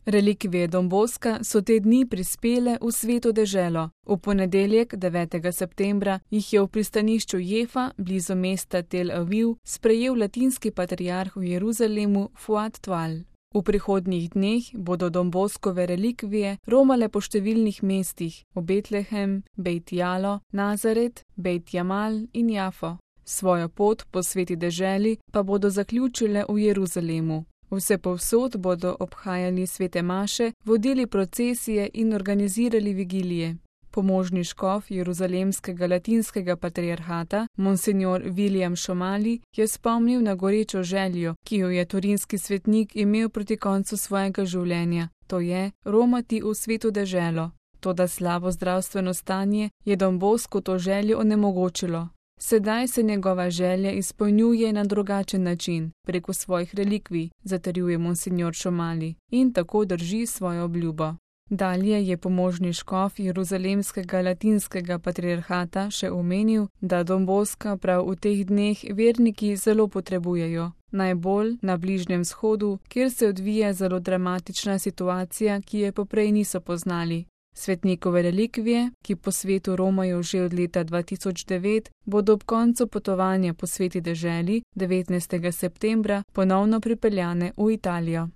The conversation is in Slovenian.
Relikvije Don Bosca so te dni prispele v Sveto deželo. V ponedeljek, 9. septembra, jih je v pristanišču Jefa, blizu mesta Tel Aviv, sprejel latinski patriarh v Jeruzalemu Fuad Twal. V prihodnjih dneh bodo Don Boscove relikvije romale po številnih mestih v Betlehem, Bejt Jalo, Nazaret, Bejt Jamal in Jafo. Svojo pot po sveti deželi pa bodo zaključile v Jeruzalemu. Vsepovsod bodo obhajali svete maše, vodili procesije in organizirali vigilije. Pomožni škof jeruzalemskega latinskega patriarhata, monsignor William Šomali, je spomnil na gorečo željo, ki jo je turinski svetnik imel proti koncu svojega življenja, to je romati v sveto deželo. Toda slabo zdravstveno stanje je Don Boscu to željo onemogočilo. Sedaj se njegova želja izpolnjuje na drugačen način, preko svojih relikvij, zatrjuje monsignor Šomali, in tako drži svojo obljubo. Dalje je pomožni škof jeruzalemskega latinskega patriarhata še omenil, da Don Bosca prav v teh dneh verniki zelo potrebujejo, najbolj na Bližnjem vzhodu, kjer se odvija zelo dramatična situacija, ki je poprej niso poznali. Svetnikove relikvije, ki po svetu romajo že od leta 2009, bodo ob koncu potovanja po sveti deželi 19. septembra ponovno pripeljane v Italijo.